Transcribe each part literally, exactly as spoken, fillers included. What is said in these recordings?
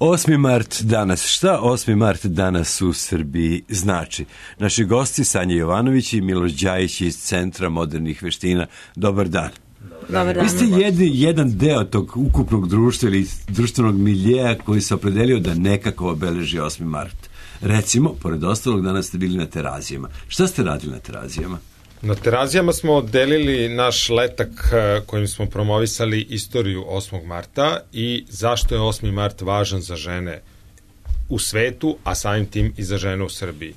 osmi mart danas. Šta osmi mart danas u Srbiji znači? Naši gosti Sanja Jovanović i Miloš Đajić iz Centra modernih veština. Dobar dan. Dobar dan. Vi ste jedni, jedan deo tog ukupnog društva ili društvenog miljeja koji se opredelio da nekako obeleži osmi mart. Recimo, pored ostalog, danas ste bili na Terazijama. Šta ste radili na Terazijama? Na Terazijama smo delili naš letak kojim smo promovisali istoriju osmog marta i zašto je osmi mart važan za žene u svetu, a samim tim i za žene u Srbiji.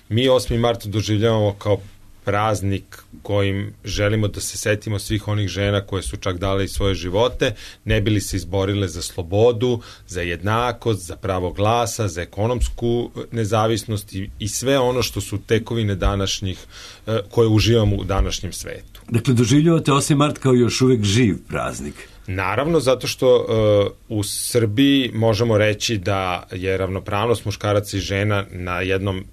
Mi osmi mart doživljavamo kao praznik kojim želimo da se setimo svih onih žena koje su čak dale i svoje živote, ne bili se izborile za slobodu, za jednakost, za pravo glasa, za ekonomsku nezavisnost i, i sve ono što su tekovine današnjih, koje uživamo u današnjem svetu. Dakle, doživljavate osmi mart kao još uvek živ praznik. Naravno, zato što uh, u Srbiji možemo reći da je ravnopravnost muškaraca i žena na jednom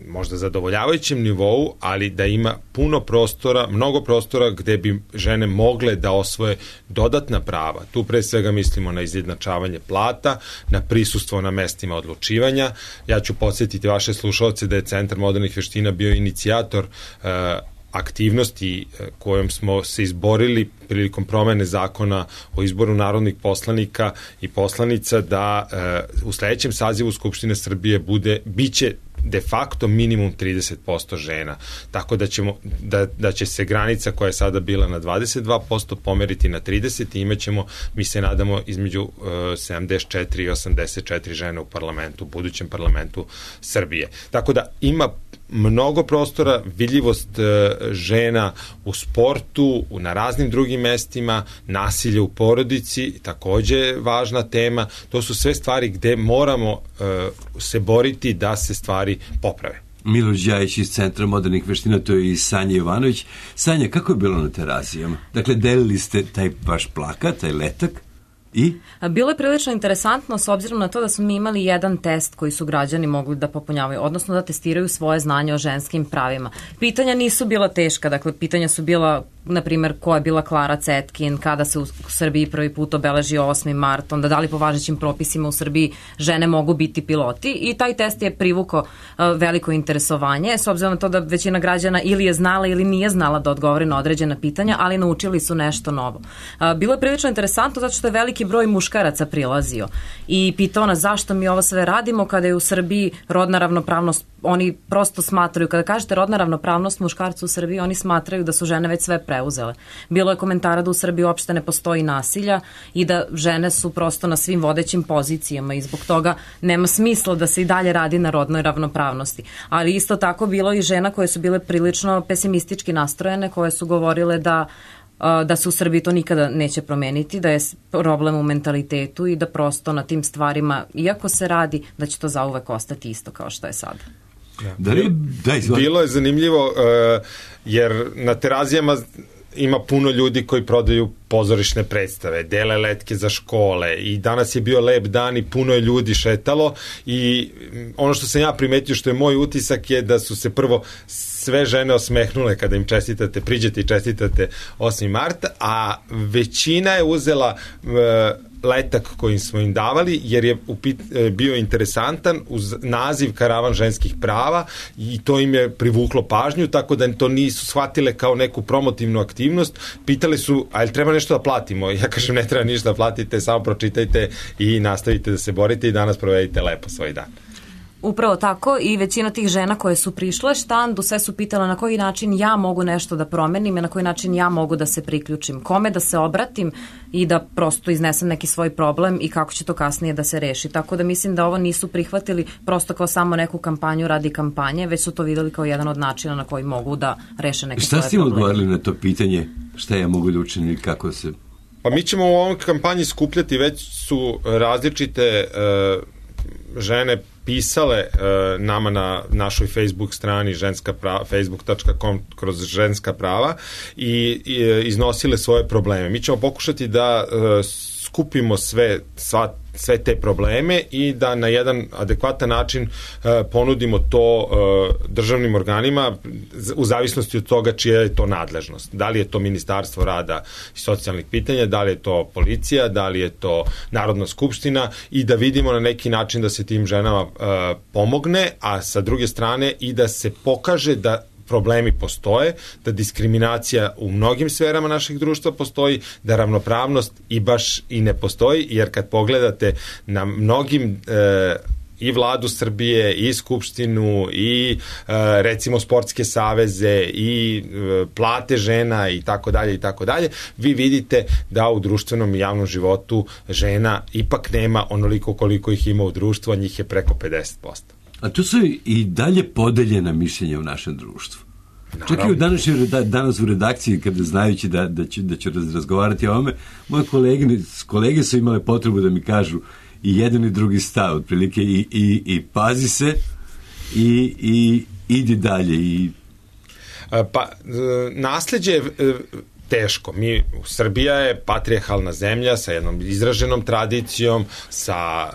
možda zadovoljavajućem nivou, ali da ima puno prostora, mnogo prostora gde bi žene mogle da osvoje dodatna prava. Tu pre svega mislimo na izjednačavanje plata, na prisustvo na mestima odlučivanja. Ja ću podsjetiti vaše slušalce da je Centar modernih veština bio inicijator uh, aktivnosti kojom smo se izborili prilikom promene zakona o izboru narodnih poslanika i poslanica da uh, u sledećem sazivu Skupštine Srbije bude, biće de facto minimum trideset posto žena. Tako da, ćemo, da, da će se granica koja je sada bila na dvadeset dva posto pomeriti na trideset i imaćemo, mi se nadamo, između uh, sedamdeset četiri i osamdeset četiri žene u parlamentu, budućem parlamentu Srbije. Tako da ima mnogo prostora, vidljivost uh, žena u sportu, na raznim drugim mestima, nasilje u porodici, takođe važna tema. To su sve stvari gde moramo uh, se boriti da se stvari poprave. Miloš Đajić iz Centra modernih veština, to je i Sanja Jovanović. Sanja, kako je bilo na Terazijama? Dakle, delili ste taj vaš plakat, taj letak? I? Bilo je prilično interesantno s obzirom na to da smo mi imali jedan test koji su građani mogli da popunjavaju, odnosno da testiraju svoje znanje o ženskim pravima. Pitanja nisu bila teška, dakle pitanja su bila, na primjer, ko je bila Klara Cetkin, kada se u Srbiji prvi put obeležio osmi mart, onda da li po važećim propisima u Srbiji žene mogu biti piloti i taj test je privukao veliko interesovanje, s obzirom na to da većina građana ili je znala ili nije znala da odgovori na određena pitanja, ali naučili su nešto novo. Bilo je prilično interesantno zato što je veliki broj muškaraca prilazio i pitao nas zašto mi ovo sve radimo kada je u Srbiji rodna ravnopravnost. Oni prosto smatraju, kada kažete rodna ravnopravnost muškarca u Srbiji, oni smatraju da su žene već sve preuzele. Bilo je komentara da u Srbiji uopšte ne postoji nasilja i da žene su prosto na svim vodećim pozicijama i zbog toga nema smisla da se i dalje radi na rodnoj ravnopravnosti. Ali isto tako bilo i žena koje su bile prilično pesimistički nastrojene, koje su govorile da da se u Srbiji to nikada neće promeniti, da je problem u mentalitetu i da prosto na tim stvarima, iako se radi, da će to zauvek ostati isto kao što je sada. Da li, da, Bilo je zanimljivo uh, jer na Terazijama ima puno ljudi koji prodaju pozorišne predstave, dele letke za škole i danas je bio lep dan i puno je ljudi šetalo i ono što sam ja primetio, što je moj utisak, je da su se prvo sve žene osmehnule kada im čestitate, priđete i čestitate osmi mart, a većina je uzela uh, letak kojim smo im davali, jer je upit, bio interesantan uz naziv Karavan ženskih prava i to im je privuklo pažnju, tako da to nisu shvatile kao neku promotivnu aktivnost. Pitali su, a jel treba nešto da platimo? Ja kažem, ne treba ništa da platite, samo pročitajte i nastavite da se borite i danas provedite lepo svoj dan. Upravo tako i većina tih žena koje su prišle štandu sve su pitala na koji način ja mogu nešto da promenim i na koji način ja mogu da se priključim, kome da se obratim i da prosto iznesem neki svoj problem i kako će to kasnije da se reši. Tako da mislim da ovo nisu prihvatili prosto kao samo neku kampanju radi kampanje, već su to videli kao jedan od načina na koji mogu da reše neke svoje probleme. Šta ste im odgovorili na to pitanje? Šta ja mogu da učinim ili kako se... Pa mi ćemo u ovom kampanji skupljati, već su različite uh, žene pisale uh, nama na našoj Facebook strani ženska prava, facebook dot com kroz ženska prava i, i iznosile svoje probleme. Mi ćemo pokušati da uh, skupimo sve, sva, sve te probleme i da na jedan adekvatan način e, ponudimo to e, državnim organima u zavisnosti od toga čija je to nadležnost. Da li je to Ministarstvo rada i socijalnih pitanja, da li je to policija, da li je to Narodna skupština i da vidimo na neki način da se tim ženama e, pomogne, a sa druge strane i da se pokaže da problemi postoje, da diskriminacija u mnogim sferama našeg društva postoji, da ravnopravnost i baš i ne postoji, jer kad pogledate na mnogim e, i vladu Srbije, i skupštinu, i e, recimo sportske saveze, i e, plate žena i tako dalje i tako dalje, vi vidite da u društvenom i javnom životu žena ipak nema onoliko koliko ih ima u društvu, a njih je preko pedeset posto. A tu su i dalje podeljena mišljenja u našem društvu. Čak i u današnjoj, danas u redakciji, kada znajući da, da, ću, da ću razgovarati o ovome, moje kolege, kolege su imale potrebu da mi kažu i jedan i drugi stav, otprilike i, i, i pazi se i, i idi dalje. I... Pa, nasleđe je teško. Mi, Srbija je patrijarhalna zemlja sa jednom izraženom tradicijom, sa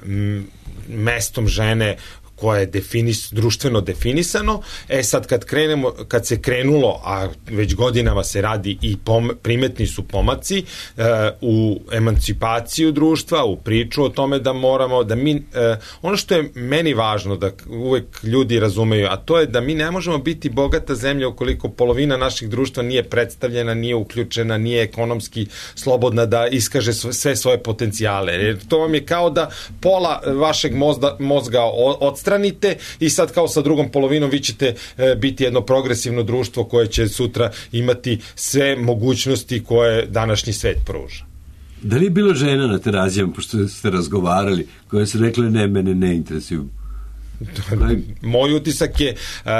m, mestom žene koje je definis, društveno definisano. E sad kad krenemo, kad se krenulo, a već godinama se radi i pom, primetni su pomaci e, u emancipaciju društva, u priču o tome da moramo, da mi, e, ono što je meni važno da uvek ljudi razumeju, a to je da mi ne možemo biti bogata zemlja ukoliko polovina naših društva nije predstavljena, nije uključena, nije ekonomski slobodna da iskaže sve svoje potencijale. Jer to vam je kao da pola vašeg mozga, mozga odstranite i sad kao sa drugom polovinom vi ćete e, biti jedno progresivno društvo koje će sutra imati sve mogućnosti koje današnji svet pruža. Da li je bilo žena na Terazijama, pošto ste razgovarali, koje su rekle ne, mene ne interesuju? Moj utisak je uh,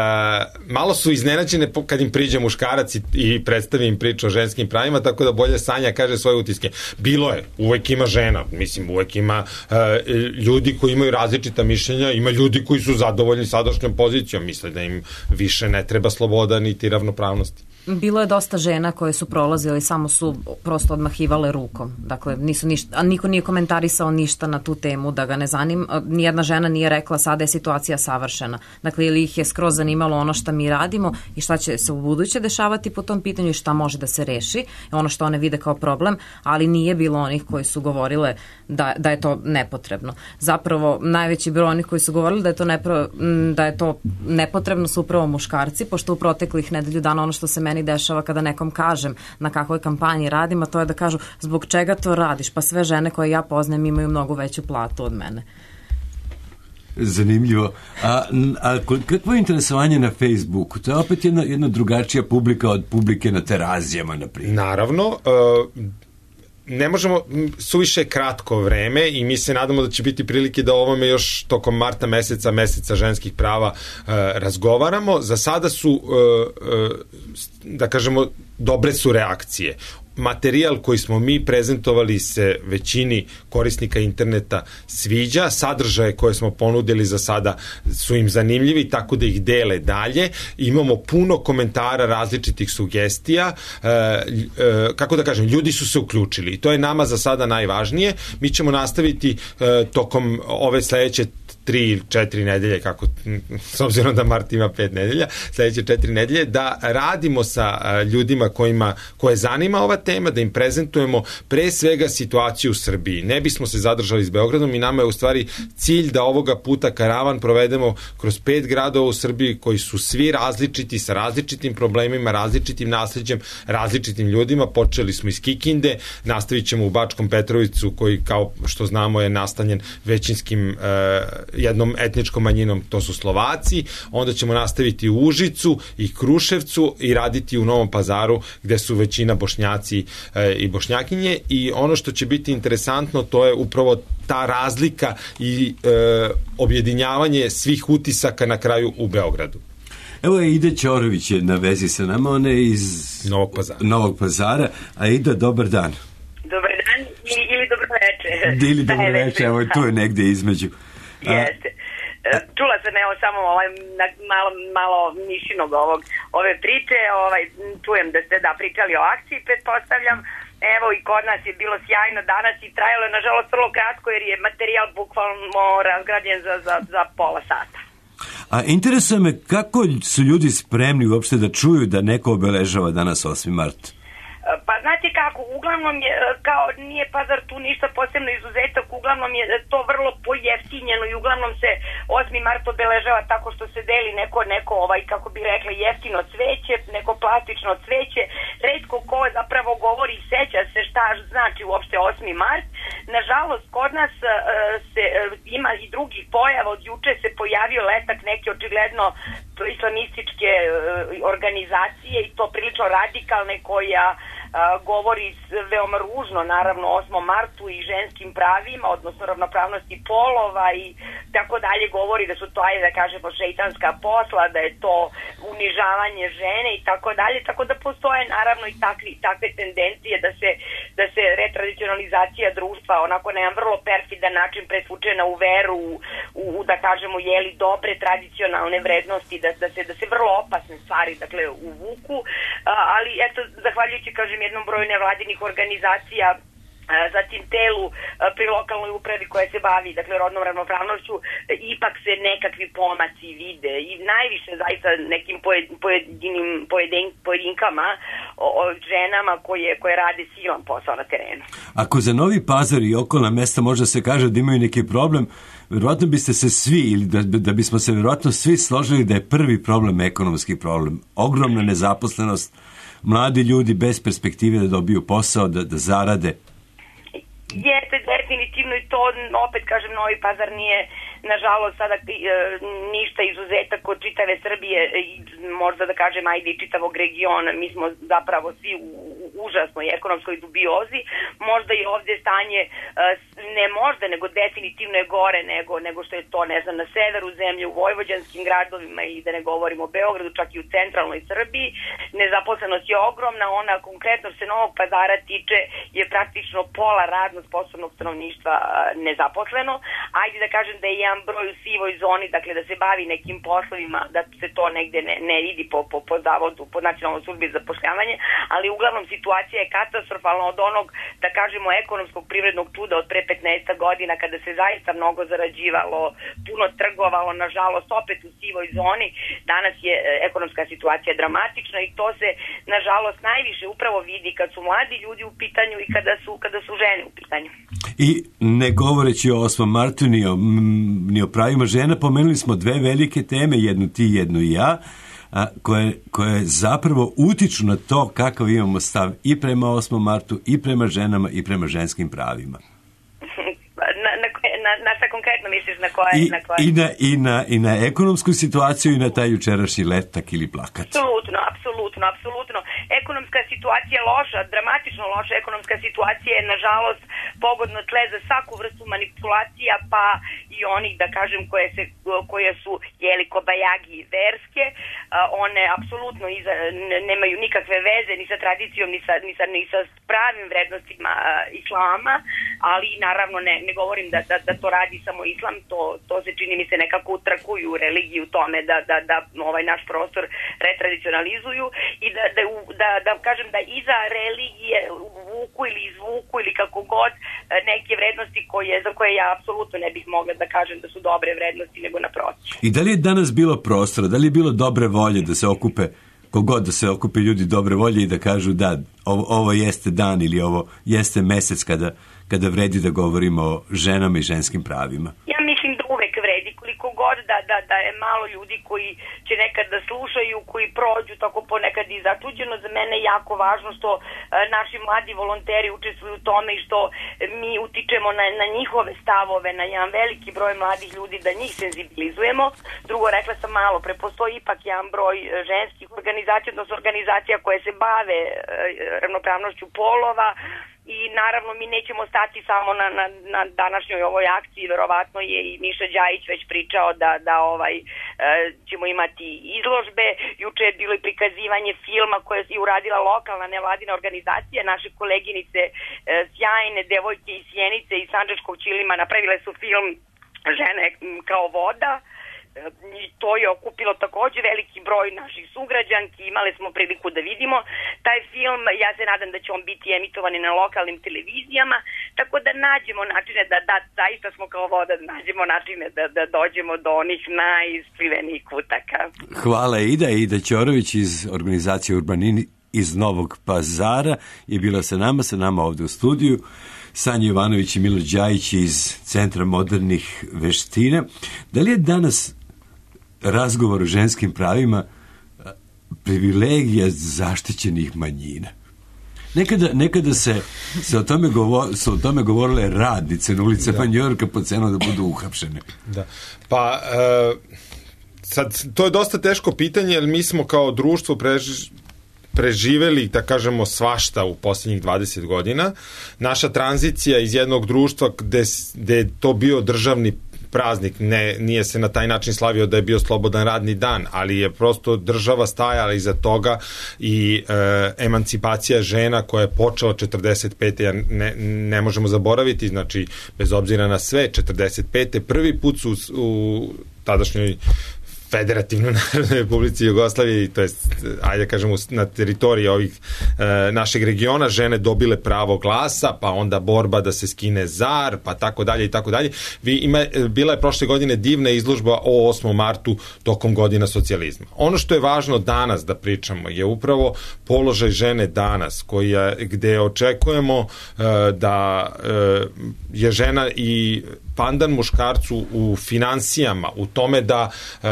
malo su iznenađene kad im priđe muškarac i, i predstavi im priču o ženskim pravima, tako da bolje Sanja kaže svoje utiske. Bilo je, uvek ima žena, mislim uvek ima uh, ljudi koji imaju različita mišljenja, ima ljudi koji su zadovoljni sadašnjom pozicijom, misle da im više ne treba sloboda niti ravnopravnosti. Bilo je dosta žena koje su prolazile i samo su prosto odmahivale rukom. Dakle, nisu ništa, a niko nije komentarisao ništa na tu temu da ga ne zanima. Nijedna žena nije rekla sada je situacija savršena. Dakle, ili ih je skroz zanimalo ono šta mi radimo i šta će se u buduće dešavati po tom pitanju i šta može da se reši. Ono što one vide kao problem, ali nije bilo onih koji su govorile da, da je to nepotrebno. Zapravo, najveći broj onih koji su govorili da je to, nepro, da je to nepotrebno su upravo muškarci, pošto u proteklih nedelju dana ono što se meni dešava kada nekom kažem na kakvoj kampanji radim, a to je da kažu zbog čega to radiš, pa sve žene koje ja poznajem imaju mnogo veću platu od mene. Zanimljivo. A, a kakvo je interesovanje na Facebooku? To je opet jedna, jedna drugačija publika od publike na Terazijama, na primjer. Naravno, uh, ne možemo, suviše kratko vreme i mi se nadamo da će biti prilike da o ovome još tokom marta meseca, meseca ženskih prava uh, razgovaramo. Za sada su, uh, uh, da kažemo, dobre su reakcije. Materijal koji smo mi prezentovali se većini korisnika interneta sviđa, sadržaje koje smo ponudili za sada su im zanimljivi, tako da ih dele dalje. Imamo puno komentara, različitih sugestija, e, e, kako da kažem, ljudi su se uključili i to je nama za sada najvažnije. Mi ćemo nastaviti e, tokom ove sledeće tri ili četiri nedelje, kako, s obzirom da mart ima pet nedelja, sledeće četiri nedelje, da radimo sa ljudima kojima, koje zanima ova tema, da im prezentujemo pre svega situaciju u Srbiji. Ne bismo se zadržali s Beogradom i nama je u stvari cilj da ovoga puta karavan provedemo kroz pet gradova u Srbiji koji su svi različiti, sa različitim problemima, različitim nasleđem, različitim ljudima. Počeli smo iz Kikinde, nastavit ćemo u Bačkom Petrovicu koji, kao što znamo, je nastanjen većinskim e, jednom etničkom manjinom, to su Slovaci, onda ćemo nastaviti u Užicu i Kruševcu i raditi u Novom Pazaru gde su većina Bošnjaci e, i Bošnjakinje i ono što će biti interesantno to je upravo ta razlika i e, objedinjavanje svih utisaka na kraju u Beogradu. Evo je Ida Ćorović je na vezi sa nama, ona je iz Novog Pazara. Novog Pazara. A Ida, dobar dan. Dobar dan ili, ili dobro veče. Ili dobro veče, evo tu je negde između. Jeste. Čula sam evo samo ovaj, malo, malo mišinog ovog, ove priče, ovaj, čujem da ste da pričali o akciji, pretpostavljam, Evo i kod nas je bilo sjajno danas i trajalo je nažalost vrlo kratko jer je materijal bukvalno razgrađen za, za, za pola sata. A interesuje me kako su ljudi spremni uopšte da čuju da neko obeležava danas osmi mart? Pa znate kako, uglavnom je, kao nije Pazar tu ništa posebno izuzetak, uglavnom je to vrlo pojeftinjeno i uglavnom se osmi mart obeležava tako što se deli neko, neko ovaj, kako bi rekla, jeftino cveće, neko plastično cveće, retko ko zapravo govori i seća se šta znači uopšte osmi mart. Nažalost, kod nas uh, se, uh, ima i drugih pojava, od juče se pojavio letak neke očigledno islamističke uh, organizacije i to prilično radikalne koja Uh, govori veoma ružno naravno osmom martu i ženskim pravima, odnosno ravnopravnosti polova i tako dalje, govori da su to, ajde da kažemo, šeitanska posla, da je to unižavanje žene i tako dalje, tako da postoje naravno i takvi, takve tendencije da se, da se retradicionalizacija društva onako na jedan vrlo perfidan način presvučena u veru, u, u da kažemo, jeli dobre tradicionalne vrednosti, da, da, se, da se vrlo opasne stvari dakle uvuku, uh, ali eto, zahvaljujući, kažem, jednom broju nevladinih organizacija, zatim telu pri lokalnoj upravi koja se bavi dakle rodnom ravnopravnošću, ipak se nekakvi pomaci vide i najviše zaista nekim pojedinim pojedin, pojedinkama o, o ženama koje, koje rade silan posao na terenu. Ako za Novi Pazar i okolna mesta možda se kaže da imaju neki problem, verovatno biste se svi, ili da, da bismo se verovatno svi složili da je prvi problem ekonomski problem. Ogromna nezaposlenost, mladi ljudi bez perspektive da dobiju posao, da, da zarade. Jeste, definitivno i to, opet kažem, Novi Pazar nije, nažalost, sada e, ništa izuzetak od čitave Srbije i možda da kažem, ajde i čitavog regiona. Mi smo zapravo svi u, u užasnoj ekonomskoj dubiozi. Možda i ovdje stanje, e, ne možda, nego definitivno je gore nego, nego što je to, ne znam, na severu zemlje, u vojvođanskim gradovima i da ne govorimo o Beogradu, čak i u centralnoj Srbiji. Nezaposlenost je ogromna, ona konkretno se Novog Pazara tiče je praktično pola radno sposobnog stanovništva nezaposleno. Ajde da kažem da je jedan broj u sivoj zoni, dakle da se bavi nekim poslovima, da se to negde ne, ne vidi po, po, po zavodu, po nacionalnoj službi za zapošljavanje, ali uglavnom situacija je katastrofalna od onog, da kažemo, ekonomskog privrednog čuda od pre petnaest godina kada se zaista mnogo zarađivalo, puno trgovalo, nažalost opet u sivoj zoni. Danas je ekonomska situacija dramatična i to se nažalost najviše upravo vidi kad su mladi ljudi u pitanju i kada su, kada su žene u pitanju. I ne govoreći o osmom martu ni o, ni o pravima žena, pomenuli smo dve velike teme, jednu ti, jednu i ja, a, koje, koje zapravo utiču na to kakav imamo stav i prema osmom martu, i prema ženama, i prema ženskim pravima. Na, na, na, na šta konkretno misliš, na koje? I, na koje? i, na, i, na, I na ekonomsku situaciju i na taj jučerašnji letak ili plakat. Apsolutno, apsolutno, apsolutno. Ekonomska situacija je loša, dramatično loša ekonomska situacija je, nažalost, pogodno tle za svaku vrstu manipulacija, pa i onih, da kažem, koje, se, koje su jeli kobajagi verske. One apsolutno iza, nemaju nikakve veze ni sa tradicijom, ni sa, ni sa, ni sa pravim vrednostima islama, ali naravno ne, ne govorim da, da, da to radi samo islam, to, to se čini mi se nekako utrakuju religiju tome da, da, da ovaj naš prostor retradicionalizuju i da, da, da, da kažem da iza religije vuku ili izvuku ili kako god neke vrednosti koje, za koje ja apsolutno ne bih mogla da kažem da su dobre vrednosti, nego naprotiv. I da li je danas bilo prostora, da li je bilo dobre volje da se okupe, kogod da se okupe ljudi dobre volje i da kažu da ovo, ovo jeste dan ili ovo jeste mesec kada, kada vredi da govorimo o ženama i ženskim pravima? Ja mislim da uvek vredi, koliko god da, da, da je malo ljudi koji će nekad da slušaju, koji prođu tako ponekad i začuđeno. Za mene je jako važno što e, naši mladi volonteri učestvuju u tome i što mi utičemo na, na njihove stavove, na jedan veliki broj mladih ljudi, da njih senzibilizujemo. Drugo, rekla sam malo, pre postoji ipak jedan broj ženskih organizacija, odnosno organizacija koje se bave e, ravnopravnošću polova. I naravno mi nećemo stati samo na, na, na današnjoj ovoj akciji, verovatno je i Miša Đajić već pričao da, da ovaj, e, ćemo imati izložbe. Juče je bilo i prikazivanje filma koje je uradila lokalna nevladina organizacija, naše koleginice e, sjajne devojke iz Sjenice i Sandžačkog Ćilima napravile su film Žene kao voda. i to je okupilo takođe veliki broj naših sugrađanki, imali smo priliku da vidimo taj film, ja se nadam da će on biti emitovan na lokalnim televizijama, tako da nađemo načine da, da zaista smo kao voda, da nađemo načine da, da dođemo do onih najiskrivenijih kutaka. Hvala Ida. Ida Ćorović iz organizacije Urbanini iz Novog Pazara je bila sa nama, sa nama ovde u studiju. Sanja Jovanović i Milo Đajić iz Centra modernih veština. Da li je danas razgovor o ženskim pravima privilegija zaštićenih manjina? Nekada, nekada se, se, o tome govor, se o tome govorile radnice na ulicama Njujorka po cenu da budu uhapšene. Da. Pa, e, sad, to je dosta teško pitanje, jer mi smo kao društvo preži, preživeli, da kažemo, svašta u posljednjih dvadeset godina. Naša tranzicija iz jednog društva gde, gde je to bio državni praznik, ne, nije se na taj način slavio da je bio slobodan radni dan, ali je prosto država stajala iza toga i e, emancipacija žena koja je počela četrdeset pete ne, ne možemo zaboraviti, znači bez obzira na sve, četrdeset pete prvi put su u tadašnjoj Federativnoj Narodnoj Republici Jugoslavije, to jest, ajde kažemo, na teritoriji ovih e, našeg regiona žene dobile pravo glasa, pa onda borba da se skine zar, pa tako dalje i tako dalje. Vi ima, bila je prošle godine divna izložba o osmom martu tokom godina socijalizma. Ono što je važno danas da pričamo je upravo položaj žene danas, koja, gde očekujemo e, da e, je žena i pandan muškarcu u finansijama, u tome da e,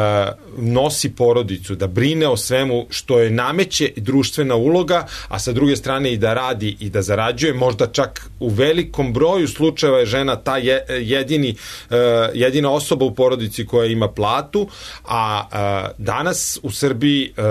nosi porodicu, da brine o svemu što je nameće društvena uloga, a sa druge strane i da radi i da zarađuje, možda čak u velikom broju slučajeva je žena ta je, jedini, e, jedina osoba u porodici koja ima platu, a e, danas u Srbiji e,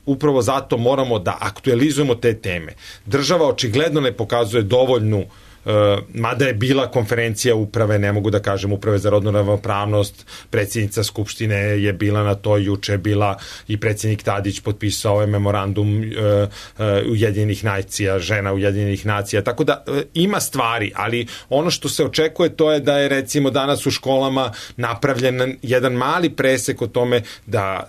upravo zato moramo da aktualizujemo te teme. Država očigledno ne pokazuje dovoljnu Uh, mada je bila konferencija uprave, ne mogu da kažem uprave za rodnu ravnopravnost, predsjednica Skupštine je bila na to, juče je bila i predsjednik Tadić potpisao ovaj memorandum uh, uh, Ujedinjenih nacija, žena Ujedinjenih nacija, tako da uh, ima stvari, ali ono što se očekuje to je da je recimo danas u školama napravljen jedan mali presek o tome da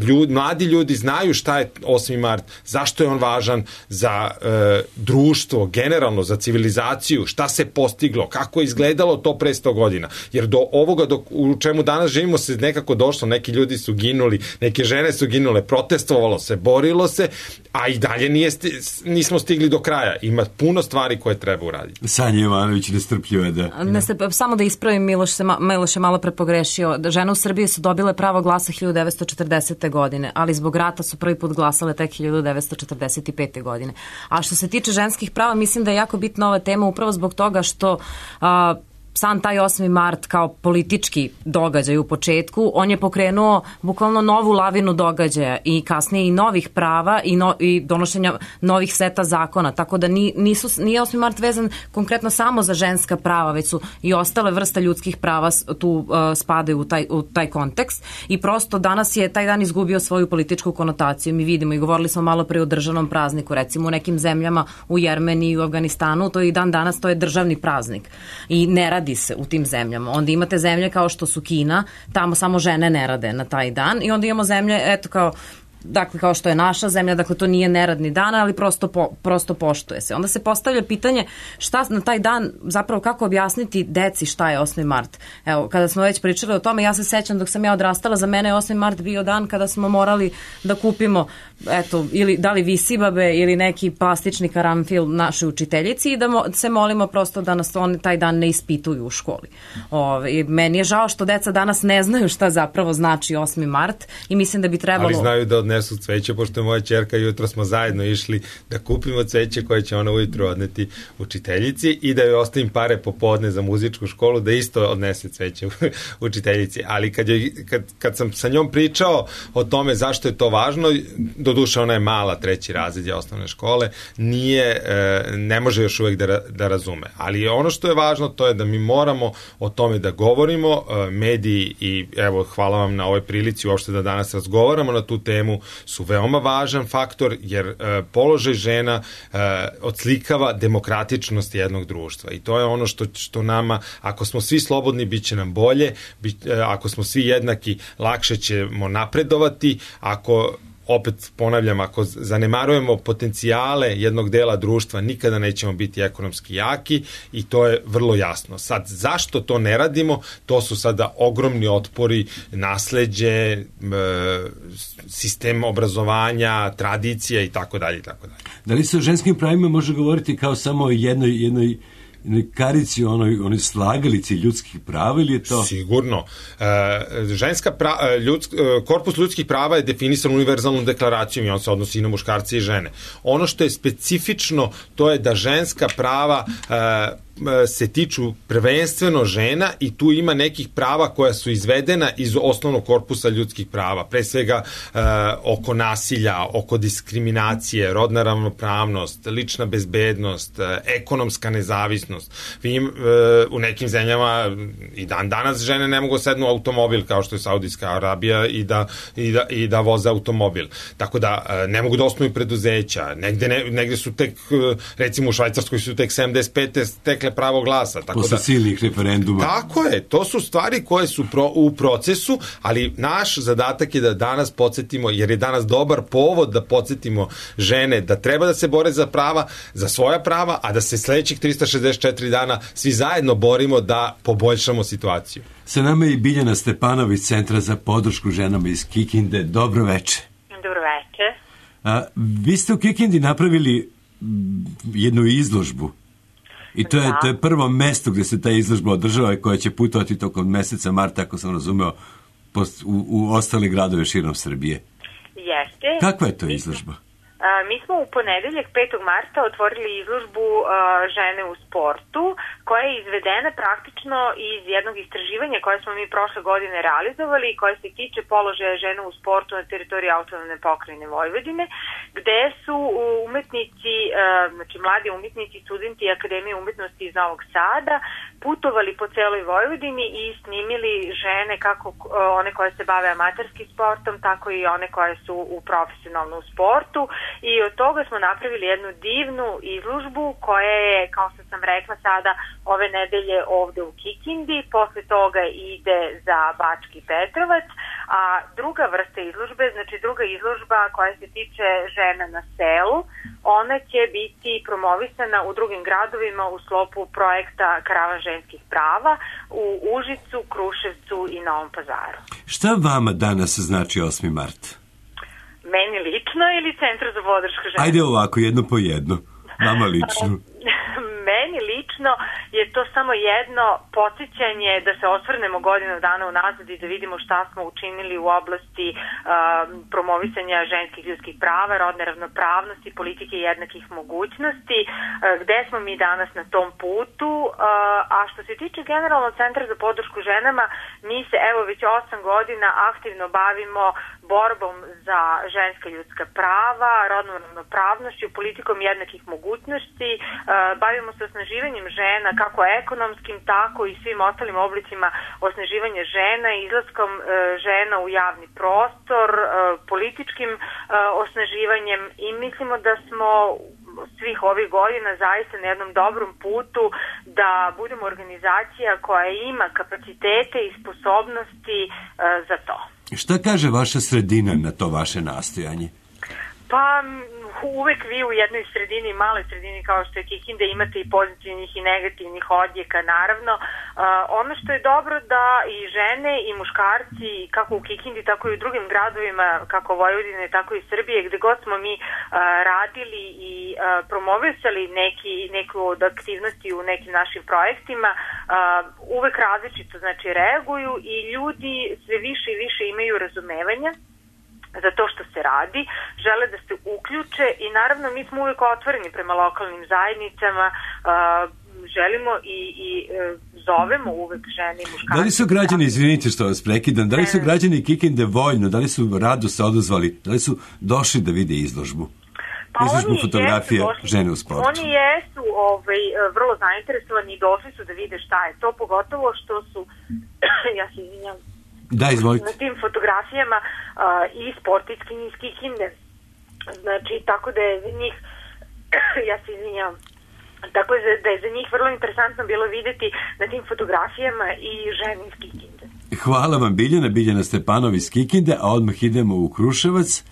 ljud, mladi ljudi znaju šta je osmi mart, zašto je on važan za uh, društvo, generalno za civilizaciju, šta se postiglo, kako je izgledalo to pre sto godina. Jer do ovoga do, u čemu danas živimo se nekako došlo, neki ljudi su ginuli, neke žene su ginule, protestovalo se, borilo se, a i dalje nije sti, nismo stigli do kraja. Ima puno stvari koje treba uraditi. Sanja Jovanović nestrpljiva da... Ne se, samo da ispravim, Miloš, se, Miloš je malo prepogrešio. Žene u Srbiji su dobile pravo glasa hiljadu devetsto četrdesete godine, ali zbog rata su prvi put glasale tek hiljadu devetsto četrdeset pete godine. A što se tiče ženskih prava, mislim da je jako bitna ova tema upravo zbog toga što a, sam taj osmi mart kao politički događaj u početku, on je pokrenuo bukvalno novu lavinu događaja i kasnije i novih prava i, no, i donošenja novih seta zakona, tako da ni, nisu, nije osmi mart vezan konkretno samo za ženska prava, već su i ostale vrste ljudskih prava tu uh, spadaju u taj, u taj kontekst i prosto danas je taj dan izgubio svoju političku konotaciju. Mi vidimo i govorili smo malo pre o državnom prazniku, recimo u nekim zemljama, u Jermeniji i u Afganistanu, to je i dan danas, to je državni praznik i ne radi se u tim zemljama. Onda imate zemlje kao što su Kina, tamo samo žene ne rade na taj dan i onda imamo zemlje, eto kao dakle kao što je naša zemlja, dakle to nije neradni dan, ali prosto, po, prosto poštuje se. Onda se postavlja pitanje šta na taj dan, zapravo kako objasniti deci šta je osmi mart. Evo, kada smo već pričali o tome, ja se sećam dok sam ja odrastala, za mene je osmi mart bio dan kada smo morali da kupimo, eto, ili da li visibabe ili neki plastični karanfil našoj učiteljici i da mo, se molimo prosto da nas oni taj dan ne ispituju u školi. Ove, i meni je žao što deca danas ne znaju šta zapravo znači osmi mart i mislim da bi trebalo... Ali znaju da odnesu su cveće, pošto je moja ćerka, jutro smo zajedno išli da kupimo cveće koje će ona ujutro odneti učiteljici i da joj ostavim pare popodne za muzičku školu da isto odnese cveće učiteljici. Ali kad, je, kad, kad sam sa njom pričao o tome zašto je to važno, doduše ona je mala, treći razred osnovne škole, nije, ne može još uvek da, da razume. Ali ono što je važno to je da mi moramo o tome da govorimo, mediji i evo hvala vam na ovoj prilici uopšte da danas razgovaramo na tu temu, sistemu su veoma važan faktor, jer e, položaj žena e, odslikava demokratičnost jednog društva i to je ono što, što nama, ako smo svi slobodni, bit će nam bolje, bit, e, ako smo svi jednaki, lakše ćemo napredovati, ako opet ponavljam, ako zanemarujemo potencijale jednog dela društva, nikada nećemo biti ekonomski jaki i to je vrlo jasno. Sad, zašto to ne radimo? To su sada ogromni otpori, nasleđe, sistem obrazovanja, tradicija i tako dalje i tako dalje. Da li se o ženskim pravima može govoriti kao samo o jednoj, jednoj karici, onoj, onoj slagalici ljudskih prava ili je to? Sigurno. E, ženska pra, ljudsk, korpus ljudskih prava je definisan univerzalnom deklaracijom i on se odnosi i na muškarce i žene. Ono što je specifično, to je da ženska prava e, se tiču prvenstveno žena i tu ima nekih prava koja su izvedena iz osnovnog korpusa ljudskih prava, pre svega e, oko nasilja, oko diskriminacije, rodna ravnopravnost, lična bezbednost, e, ekonomska nezavisnost. Vi, e, u nekim zemljama i dan danas žene ne mogu sednu automobil kao što je Saudijska Arabija i da, i da, i da voze automobil. Tako da e, ne mogu da osnuju preduzeća. Negde, ne, negde su tek, recimo u Švajcarskoj su tek sedamdeset pete stekle pravo glasa. Tako posle da, silnih referenduma. Tako je, to su stvari koje su pro, u procesu, ali naš zadatak je da danas podsjetimo, jer je danas dobar povod da podsjetimo žene da treba da se bore za prava, za svoja prava, a da se sledećih trista šezdeset četiri dana svi zajedno borimo da poboljšamo situaciju. Sa nama je i Biljana Stepanović, Centra za podršku ženama iz Kikinde. Dobro veče. Dobro veče. A, vi ste u Kikindi napravili jednu izložbu. I to je, to je prvo mesto gde se ta izložba održava i koja će putovati tokom meseca marta, ako sam razumeo, post, u, u ostale gradove širom Srbije. Jeste. Kakva je to izložba? A, mi smo u ponedeljak petog marta otvorili izložbu a, žene u sportu, koja je izvedena praktično iz jednog istraživanja koje smo mi prošle godine realizovali i koje se tiče položaja žena u sportu na teritoriji autonomne pokrajine Vojvodine, gde su umetnici, a, znači mladi umetnici, studenti Akademije umetnosti iz Novog Sada putovali po celoj Vojvodini i snimili žene, kako one koje se bave amaterskim sportom, tako i one koje su u profesionalnom sportu. I od toga smo napravili jednu divnu izložbu koja je, kao što sam rekla sada, ove nedelje ovde u Kikindi, posle toga ide za Bački Petrovac, a druga vrsta izložbe, znači druga izložba koja se tiče žena na selu, ona će biti promovisana u drugim gradovima u sklopu projekta Karavan ženskih prava u Užicu, Kruševcu i Novom Pazaru. Šta vama danas znači osmi mart? Meni lično ili Centru za podršku žena? Ajde ovako, jedno po jedno. Vama lično. Meni lično je to samo jedno podsjećanje da se osvrnemo godinu dana unazad i da vidimo šta smo učinili u oblasti uh, promovisanja ženskih ljudskih prava, rodne ravnopravnosti, politike jednakih mogućnosti, uh, gde smo mi danas na tom putu, uh, a što se tiče generalno Centra za podršku ženama, mi se evo već osam godina aktivno bavimo borbom za ženska ljudska prava, rodnom ravnopravnošću, politikom jednakih mogućnosti, uh, bavimo se osnaživanjem žena, kako ekonomskim, tako i svim ostalim oblicima osnaživanja žena, izlaskom uh, žena u javni prostor, uh, političkim uh, osnaživanjem i mislimo da smo svih ovih godina zaista na jednom dobrom putu da budemo organizacija koja ima kapacitete i sposobnosti uh, za to. Šta kaže vaša sredina na to vaše nastojanje? Pa uvek vi u jednoj sredini, maloj sredini kao što je Kikinda, imate i pozitivnih i negativnih odjeka, naravno. Uh, ono što je dobro da i žene i muškarci, kako u Kikindi, tako i u drugim gradovima, kako Vojvodine, tako i Srbije, gde god smo mi uh, radili i uh, promovisali neki, neku od aktivnosti u nekim našim projektima, uh, uvek različito znači reaguju i ljudi sve više i više imaju razumevanja za to što se radi, žele da se uključe i naravno mi smo uvijek otvoreni prema lokalnim zajednicama, uh, želimo i, i uh, zovemo uvek žene i muškarce. Da li su građani, izvinite što vas prekidam, da li su građani Kikinde voljno, da li su rado se odazvali, da li su došli da vide izložbu? Pa izložbu fotografije žene u sportu. Oni jesu ovaj, vrlo zainteresovani i došli su da vide šta je to, pogotovo što su, ja se izvinjam, Da, izvolite. na tim fotografijama fotografijama uh, i sportski niski kinder. Znači, tako da je za njih, ja se izvinjavam, tako da je za njih vrlo interesantno bilo videti na tim fotografijama i ženu iz Kikinde. Hvala vam, Biljana, Biljana Stepanov iz Kikinde, a odmah idemo u Kruševac.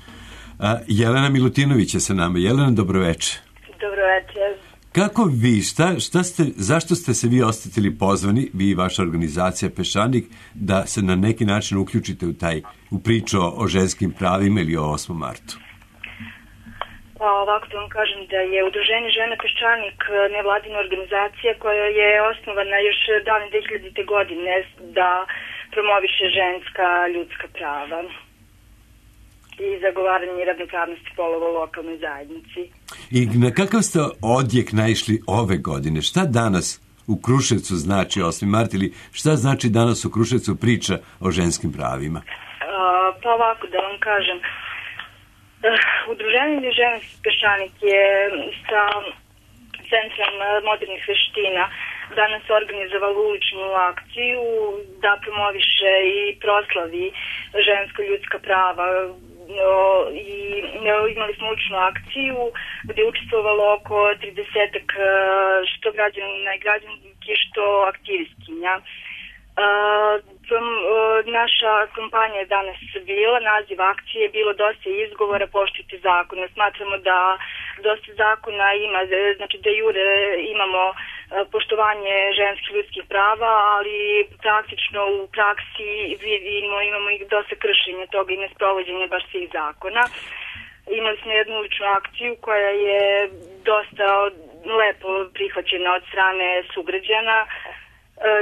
A, Jelena Milutinović je sa nama. Jelena, dobroveče. Dobroveče. Kako vi, šta, šta ste, zašto ste se vi osetili pozvani, vi i vaša organizacija Peščanik, da se na neki način uključite u taj, u priču o ženskim pravima ili o osmom martu? Pa ovako da vam kažem da je Udruženje Žena Peščanik nevladina organizacija koja je osnovana još davne dve hiljadite. godine da promoviše ženska ljudska prava i zagovaranje ravnopravnosti polova u lokalnoj zajednici. I na kakav ste odjek naišli ove godine? Šta danas u Kruševcu znači osmi mart ili šta znači danas u Kruševcu priča o ženskim pravima? A, pa ovako da vam kažem, Udruženje Žena Peščanik je sa Centrom modernih veština danas organizovalo uličnu akciju da promoviše i proslavi ženska ljudska prava i imali smo uličnu akciju gde je učestvovalo oko tridesetak što građana i građanki, što aktivistkinja. Naša kampanja je danas bila, naziv akcije je bilo dosta izgovora, poštujte zakone. Smatramo da dosta zakona ima, znači da jure imamo poštovanje ženskih ljudskih prava, ali praktično u praksi vidimo, imamo i dosta kršenja toga i nesprovođenja baš svih zakona. Imali smo jednu uličnu akciju koja je dosta lepo prihvaćena od strane sugrađana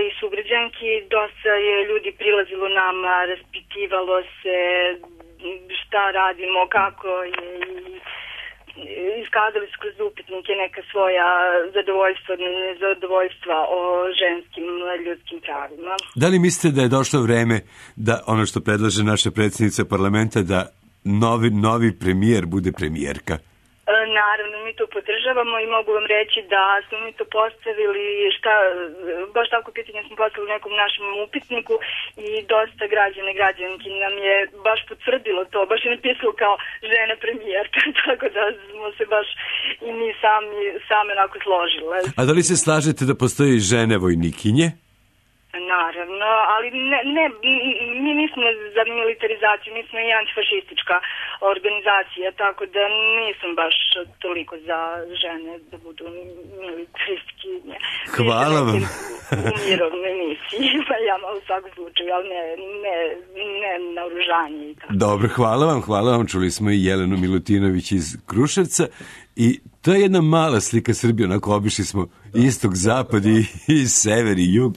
i sugrađanki. Dosta je ljudi prilazilo nama, raspitivalo se šta radimo, kako je i iskazali su kroz upitnike neka svoja zadovoljstva, nezadovoljstva o ženskim ljudskim pravima. Da li mislite da je došlo vreme da ono što predlaže naša predsjednica parlamenta da novi, novi premijer bude premijerka? Naravno, mi to podržavamo i mogu vam reći da smo mi to postavili, šta, baš tako pitanje smo postavili u nekom našem upitniku i dosta građana i građanki nam je baš potvrdilo to, baš je napisalo kao žena premijerka, tako da smo se baš i mi sami, same onako složile. A da li se slažete da postoji žene vojnikinje? Naravno, ali ne, ne, mi nismo za militarizaciju, mi smo i antifašistička organizacija, tako da nisam baš toliko za žene da budu militaristinje. Hvala vam. U mirovnoj misiji, pa ja malo u svakom slučaju, ali ne, ne, ne na oružanje i tako. Dobro, hvala vam, hvala vam. Čuli smo i Jelenu Milutinović iz Kruševca i to je jedna mala slika Srbije, onako obišli smo istok, zapad i, i sever i jug.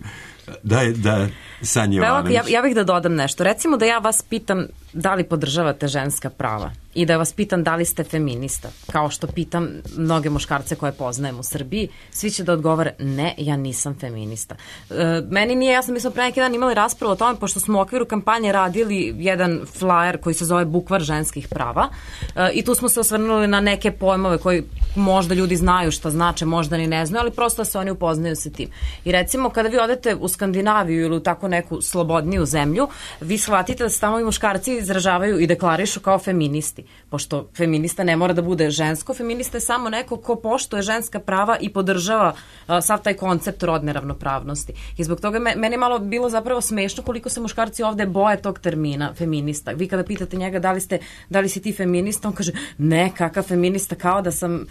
Da, da, Sanja Jovanović. Ja, ja bih da dodam nešto. Recimo da ja vas pitam da li podržavate ženska prava i da vas pitam da li ste feminista, kao što pitam mnoge muškarce koje poznajem u Srbiji, svi će da odgovore ne, ja nisam feminista. E, meni nije jasno, mi smo pre neki dan imali raspravu o tome, pošto smo u okviru kampanje radili jedan flyer koji se zove Bukvar ženskih prava e, i tu smo se osvrnuli na neke pojmove koji možda ljudi znaju šta znače, možda ni ne znaju, ali prosto se oni upoznaju sa tim. I recimo kada vi odete u Skandinaviju ili u tako neku slobodniju zemlju, vi shvatite da se tamo i muškarci izražavaju i deklarišu kao feministi. Pošto feminista ne mora da bude žensko, feminista je samo neko ko poštuje ženska prava i podržava uh, sav taj koncept rodne ravnopravnosti. I zbog toga me, meni je malo bilo zapravo smešno koliko se muškarci ovde boje tog termina feminista. Vi kada pitate njega da li, ste, da li si ti feminista, on kaže ne, kakav feminista, kao da sam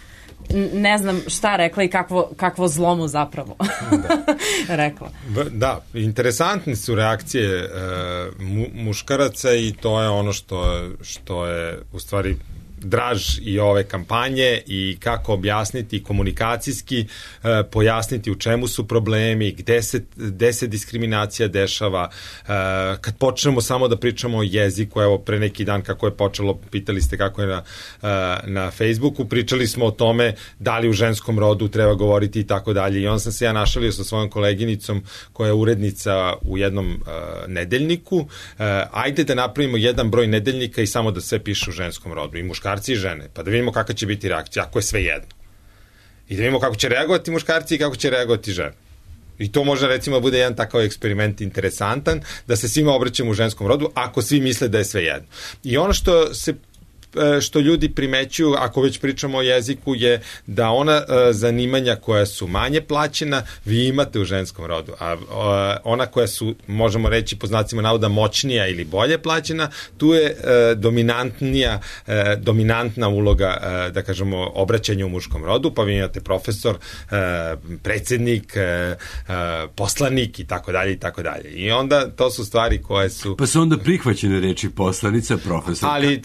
ne znam šta rekla i kakvo, kakvo zlomu zapravo da. rekla. Da, interesantne su reakcije e, mu, muškaraca i to je ono što, što je u stvari draž i ove kampanje i kako objasniti komunikacijski, e, pojasniti u čemu su problemi, gde se, gde se diskriminacija dešava. E, kad počnemo samo da pričamo o jeziku, evo pre neki dan kako je počelo, pitali ste kako je na, e, na Facebooku, pričali smo o tome da li u ženskom rodu treba govoriti i tako dalje. I on sam se ja našalio sa svojom koleginicom koja je urednica u jednom e, nedeljniku. E, ajde da napravimo jedan broj nedeljnika i samo da sve piše u ženskom rodu i muškarci i žene, pa da vidimo kakva će biti reakcija, ako je sve jedno. I da vidimo kako će reagovati muškarci i kako će reagovati žene. I to može recimo bude jedan takav eksperiment interesantan, da se svima obraćamo u ženskom rodu, ako svi misle da je sve jedno. I ono što se što ljudi primećuju, ako već pričamo o jeziku, je da ona zanimanja koja su manje plaćena, vi imate u ženskom rodu, a ona koja su, možemo reći po znacima navoda, moćnija ili bolje plaćena, tu je dominantnija, dominantna uloga, da kažemo, obraćanja u muškom rodu, pa vi imate profesor, predsednik, poslanik i tako dalje i tako dalje. I onda to su stvari koje su... Pa su onda prihvaćene reči poslanica, profesor. Ali...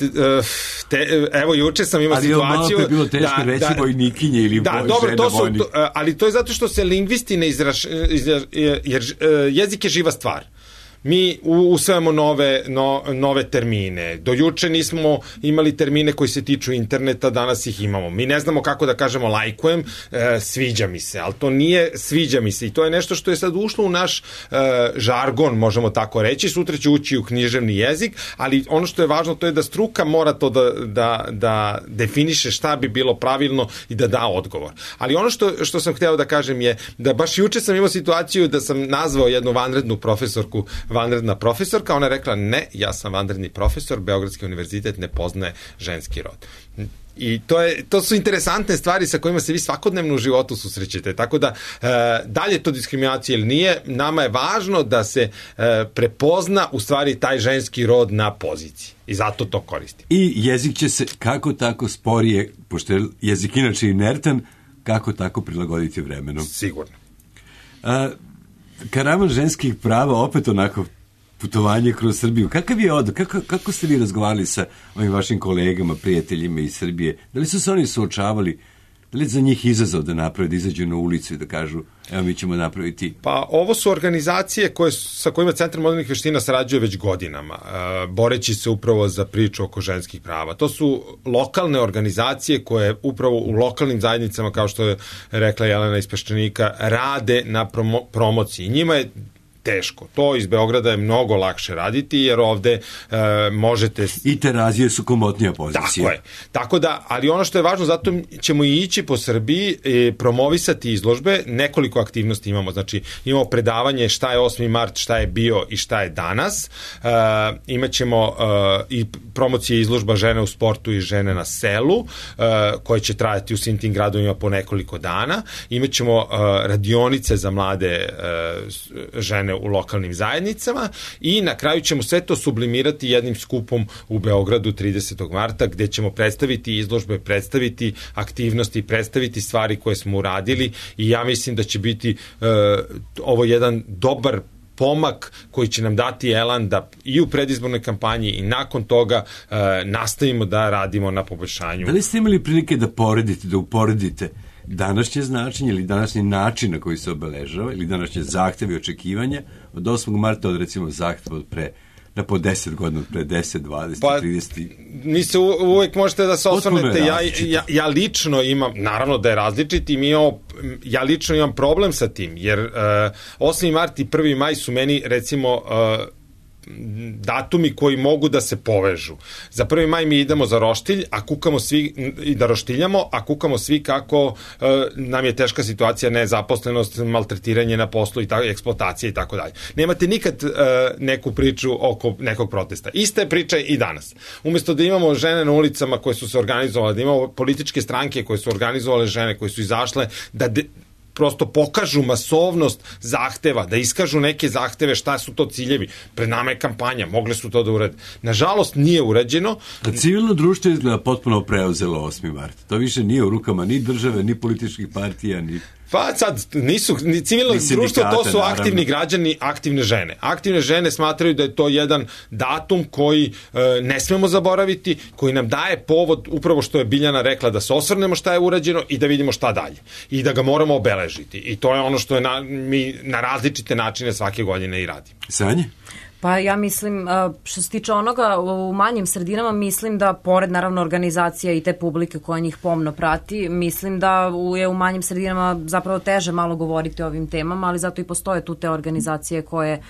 Te, evo, juče sam imao ali situaciju... Ali je bilo teško da, reći da, vojnikinje ili da, boj, dobro, žena to su, vojnik. To, ali to je zato što se lingvisti ne izraš... Jer jezik je živa stvar. Mi usvajamo nove, no, nove termine. Do juče nismo imali termine koji se tiču interneta, danas ih imamo. Mi ne znamo kako da kažemo lajkujem, e, sviđa mi se, ali to nije sviđa mi se i to je nešto što je sad ušlo u naš e, žargon, možemo tako reći. Sutra će ući u književni jezik, ali ono što je važno to je da struka mora to da, da, da definiše šta bi bilo pravilno i da da odgovor. Ali ono što, što sam hteo da kažem je da baš juče sam imao situaciju da sam nazvao jednu vanrednu profesorku vanredna profesorka, ona je rekla ne, ja sam vanredni profesor, Beogradski univerzitet ne poznaje ženski rod. I to, je, to su interesantne stvari sa kojima se vi svakodnevno u životu susrećete. Tako da, e, dalje to diskriminacija ili nije, nama je važno da se e, prepozna u stvari taj ženski rod na poziciji. I zato to koristim. I jezik će se kako tako sporije, pošto je jezik inače inertan, kako tako prilagoditi vremenom. Sigurno. A, Karavan ženskih prava, opet onako putovanje kroz Srbiju. Kakav je od, kako, kako ste vi razgovarali sa ovim vašim kolegama, prijateljima iz Srbije? Da li su se oni suočavali, da li je za njih izazov da naprave, da izađu na ulicu i da kažu evo mi ćemo napraviti? Pa ovo su organizacije koje, sa kojima Centar modernih veština sarađuje već godinama, uh, boreći se upravo za priču oko ženskih prava. To su lokalne organizacije koje upravo u lokalnim zajednicama, kao što je rekla Jelena iz Peščanika, rade na promo, promociji. Njima je teško. To iz Beograda je mnogo lakše raditi, jer ovde e, možete... I terazije su komotnija pozicija. Tako je. Tako da, ali ono što je važno, zato ćemo i ići po Srbiji, e, promovisati izložbe, nekoliko aktivnosti imamo. Znači, imamo predavanje šta je osmi mart, šta je bio i šta je danas. E, imaćemo e, i promocije izložba žene u sportu i žene na selu, e, koje će trajati u svim tim gradovima po nekoliko dana. Imaćemo e, radionice za mlade e, žene u lokalnim zajednicama i na kraju ćemo sve to sublimirati jednim skupom u Beogradu tridesetog marta, gde ćemo predstaviti izložbe, predstaviti aktivnosti, predstaviti stvari koje smo uradili i ja mislim da će biti uh, ovo jedan dobar pomak koji će nam dati elan da i u predizbornoj kampanji i nakon toga uh, nastavimo da radimo na poboljšanju. Da li ste imali prilike da poredite, da uporedite današnje značenje ili današnji način na koji se obeležava ili današnje zahteve i očekivanja od osmog marta od recimo zahteva od pre da po deset godina, pre deset, dvadeset, pa, trideset. Mi se uvek možete da se osvrnete, ja, ja, ja lično imam, naravno da je različit i mi imamo, ja lično imam problem sa tim, jer uh, osmi mart i prvi maj su meni recimo uh, datumi koji mogu da se povežu. Za prvi maj mi idemo za roštilj, a kukamo svi i da roštiljamo, a kukamo svi kako e, nam je teška situacija, nezaposlenost, maltretiranje na poslu i tako, eksploatacija i tako dalje. Nemate nikad e, neku priču oko nekog protesta. Ista je priča i danas. Umesto da imamo žene na ulicama koje su se organizovale, da imamo političke stranke koje su organizovale žene, koje su izašle da de, prosto pokažu masovnost zahteva, da iskažu neke zahteve, šta su to ciljevi. Pred nama je kampanja, mogle su to da urade. Nažalost, nije urađeno. A civilno društvo izgleda potpuno preuzelo osmi mart. To više nije u rukama ni države, ni političkih partija, ni... Pa sad, nisu, ni civilno društvo, to su naravno aktivni građani, aktivne žene. Aktivne žene smatraju da je to jedan datum koji e, ne smemo zaboraviti, koji nam daje povod, upravo što je Biljana rekla, da se osvrnemo šta je urađeno i da vidimo šta dalje. I da ga moramo obeležiti. I to je ono što je na, mi na različite načine svake godine i radimo. Sanje? Pa ja mislim, što se tiče onoga, u manjim sredinama mislim da, pored naravno organizacija i te publike koja njih pomno prati, mislim da je u manjim sredinama zapravo teže malo govoriti o ovim temama, ali zato i postoje tu te organizacije koje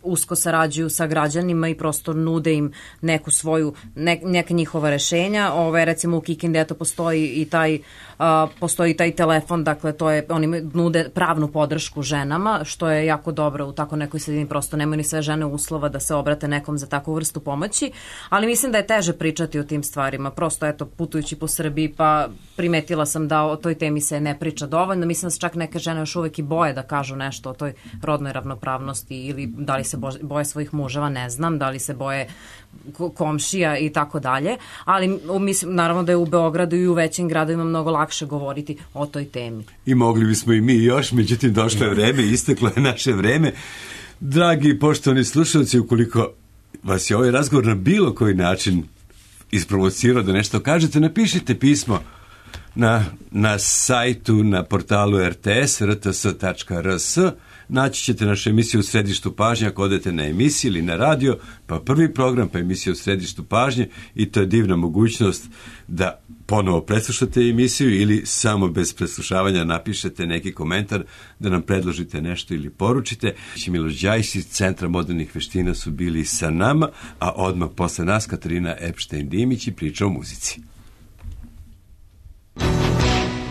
usko sarađuju sa građanima i prosto nude im neku svoju, ne, neka njihova rešenja. Ove, recimo u Kikindi eto postoji i taj Uh, postoji taj telefon, dakle to je, oni nude pravnu podršku ženama, što je jako dobro u tako nekoj sredini, prosto nemaju ni sve žene uslova da se obrate nekom za takvu vrstu pomoći, ali mislim da je teže pričati o tim stvarima, prosto eto putujući po Srbiji pa primetila sam da o toj temi se ne priča dovoljno, mislim da se čak neke žene još uvek i boje da kažu nešto o toj rodnoj ravnopravnosti ili da li se boje svojih muževa, ne znam, da li se boje komšija i tako dalje, ali mislim naravno da je u Beogradu i u većim gradovima mnogo lakše govoriti o toj temi. I mogli bismo i mi još, međutim došlo je vreme, isteklo je naše vreme. Dragi i poštovani slušalci, ukoliko vas je ovaj razgovor na bilo koji način isprovocirao da nešto kažete, napišite pismo na, na sajtu, na portalu er te es, er te es tačka er es. Naći ćete našu emisiju u središtu pažnje ako odete na emisiju ili na radio, pa prvi program, pa emisiju u središtu pažnje, i to je divna mogućnost da ponovo preslušate emisiju ili samo bez preslušavanja napišete neki komentar, da nam predložite nešto ili poručite. Miloš Đajić iz Centra modernih veština su bili sa nama, a odmah posle nas Katarina Epštajn-Dimić i priča o muzici.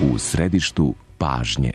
U središtu pažnje.